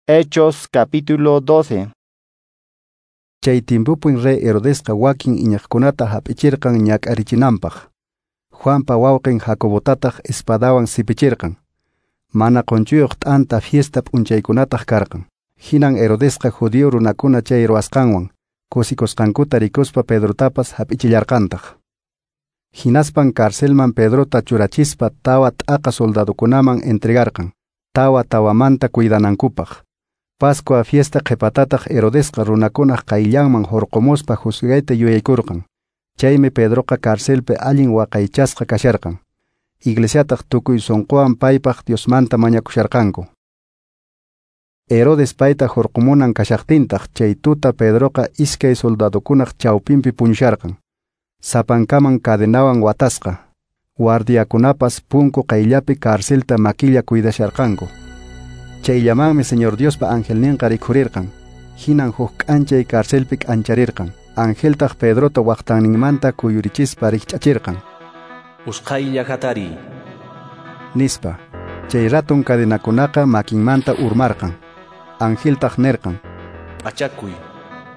Hechos capítulo 12. Chay tiempopin rey Herodesqa wakin iñiqkunata hap'ichirqan ñak'arichinanpaq. Juanpa wawqin Jacobotataq espadawan sipichirqan. Mana qonchuyuq t'anta fiesta p'unchaykunataq karqan. Hinan Herodesqa judío runakuna chay ruwasqanwan kusikusqankuta rikuspa Pedrotapas hap'ichillarqantaq. Hinaspan carcelman Pedrota churachispa tawa t'aqa soldadokunaman entregarqan, tawa tawamanta cuidanankupaq. Pascua fiesta qhipatataq Herodesqa runakunaq qayllanman hurqumuspa juzgayta yuyaykurqan. Chaymi Pedroqa carcelpi allin waqaychasqa kasharqan. Iglesiataq tukuy sunquwan paypaq Diosmanta mañakusharqanku. Herodes payta hurqumunan kashaqtintaq chay tuta Pedroqa iskay soldadokunaq chawpinpi puñusharqan. Sapankaman cadenawan watasqa. Guardiakunapas punku qayllapi carcelta makilla cuidasharqanku. Chayllamanmi Señor Diospa angelninqa rikhurirqan. Hinan huk k'anchay carcelpi k'ancharirqan. Angeltaq Pedrota waqtanninmanta kuyurichispa rikch'achirqan. Usqhaylla hatariy, nispa. Chay ratun cadenakunaqa makinmanta urmarqan. Angeltaq nirqan: P'achakuy,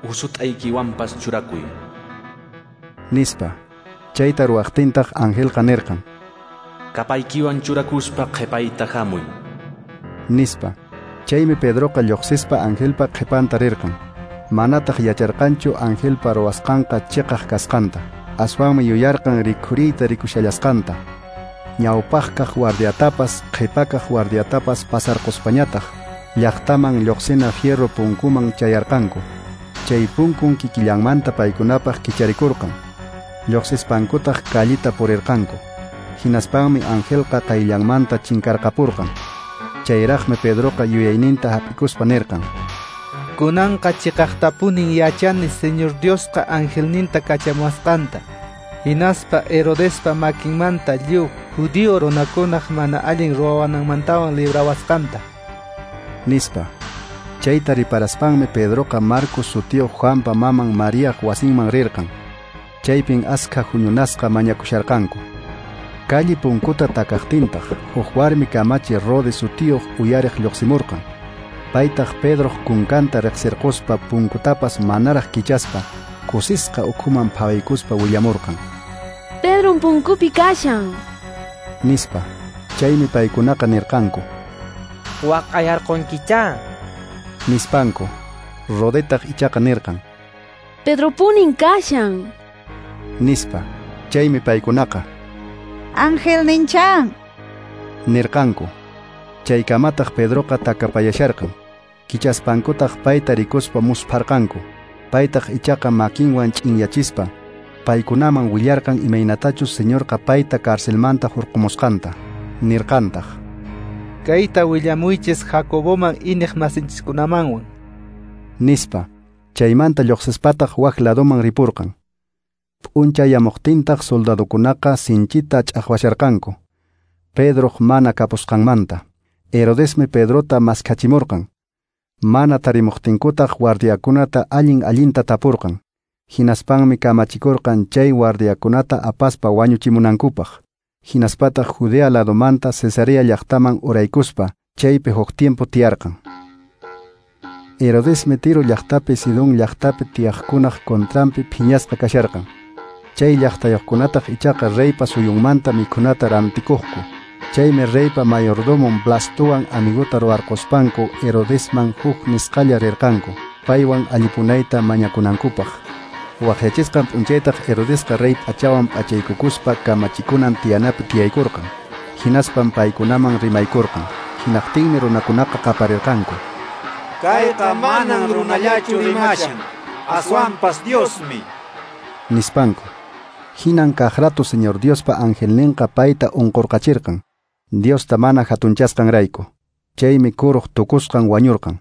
usut'aykiwanpas churakuy, nispa. Chayta ruwaqtintaq angelqa nirqan: Kapaykiwan churakuspa qhipayta hamuy, nispa. Chaymi Pedroqa lluqsispa angelpa qhipanta rirqan. Manataq yacharqanchu angelpa ruwasqanqa chiqaq kasqanta. Aswanmi yuyarqan rikhuriyta rikushallasqanta. Ñawpaqkaq guardiatapas qhipakaq guardiatapas pasarquspañataq llaqtaman lluqsina fierro punkuman chayarqanku. Chay punkun kikillanmanta paykunapaq kicharikurqan. Lluqsispankutaq callita purirqanku. Hinaspanmi angelqa qayllanmanta chinkarqapurqan. Chayraqmi Pedroqa yuyayninta hap'ikuspa nirqan: Kunanqa chiqaqtapunin yachani Señor Diosqa angelninta kachamuwasqanta. Hinaspa Herodespa makinmanta lliw judío runakunaq mana allin ruwananmantawan librawasqanta, nispa. Chayta riparaspanmi Pedroqa Marcos sutiyuq Juanpa maman Mariaq wasinman rirqan. Chaypin askha huñunasqa mañakusharqanku. Calle punkuta takaqtintaq huk warmi kamachi Rode sutiyuq uyariq lluqsimurqan. Paytaq Pedroq kunkanta riqsirquspa punkutapas manaraq kichaspa kusisqa ukhuman phawaykuspa willamurqan: Pedron punkupi kashan, nispa. Chaymi paykunaqa nirqanku: Waqayarqunkichá, nispanku. Rodetaq ichaqa nirqan: Pedropunin kashan, nispa. Chaymi paykunaqa: Angelninchá, nirqanku. Chaykamataq Pedroqa takapayasharqan. Kichaspankutaq payta rikuspa muspharqanku. Paytaq ichaqa makinwan ch'inyachispa paykunaman willarqan imaynatachus Señorqa payta carcelmanta hurqumusqanta. Nirqantaq: Kayta willamuychis Jacoboman iñiq masinchiskunamanwan, nispa. Chaymanta lluqsispataq wak ladoman ripurqan. P'unchayamuqtintaq soldadokunaqa sinchita ch'aqwasharqanku Pedroq mana kapusqanmanta. Herodesmi Pedrota maskhachimurqan. Mana tarimuqtinkutaq guardiakunata allin allinta tapurqan. Hinaspanmi kamachikurqan chay guardiakunata apaspa wañuchimunankupaq. Hinaspataq Judea ladomanta Cesarea llaqtaman uraykuspa chaypi huk tiempo tiyarqan. Herodesmi Tiro llaqtapi Sidón llaqtapi tiyaqkunaq contranpi phiñasqa kasharqan. Chay llaqtayuqkunataq ichaqa reypa suyunmanta mikhunata rantikuqku. Chaymi reypa mayordomon Blastowan amiguta ruwarquspanku Herodesman huk nisqalla rirqanku paywan allipunayta mañakunankupaq. Waqyachisqan p'unchaytaq Herodesqa rey p'achawan p'achaykukuspa kamachikunan tiyanapi tiyaykurqan. Hinaspan paykunaman rimaykurqan. Hinaqtinmi runakunaqa qaparirqanku: Kayqa manan runallachu rimashan, aswanpas Diosmi, nispanku. Hinan kaqrato Señor Diospa angelninqa payta unqurqachirqan, Diosta mana hatunchasqanrayku. Chaymi kuruq tukusqan wañurqan.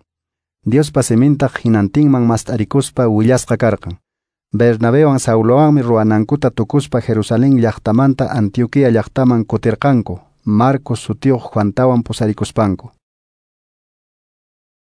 Diospa simintaq hinantinman mast'arikuspa willasqa karqan. Bernabewan Saulowanmi ruwanankuta tukuspa Jerusalén llaqtamanta Antioquía llaqtaman kutirqanku, Marcos sutiyuq Juantawan pusarikuspanku.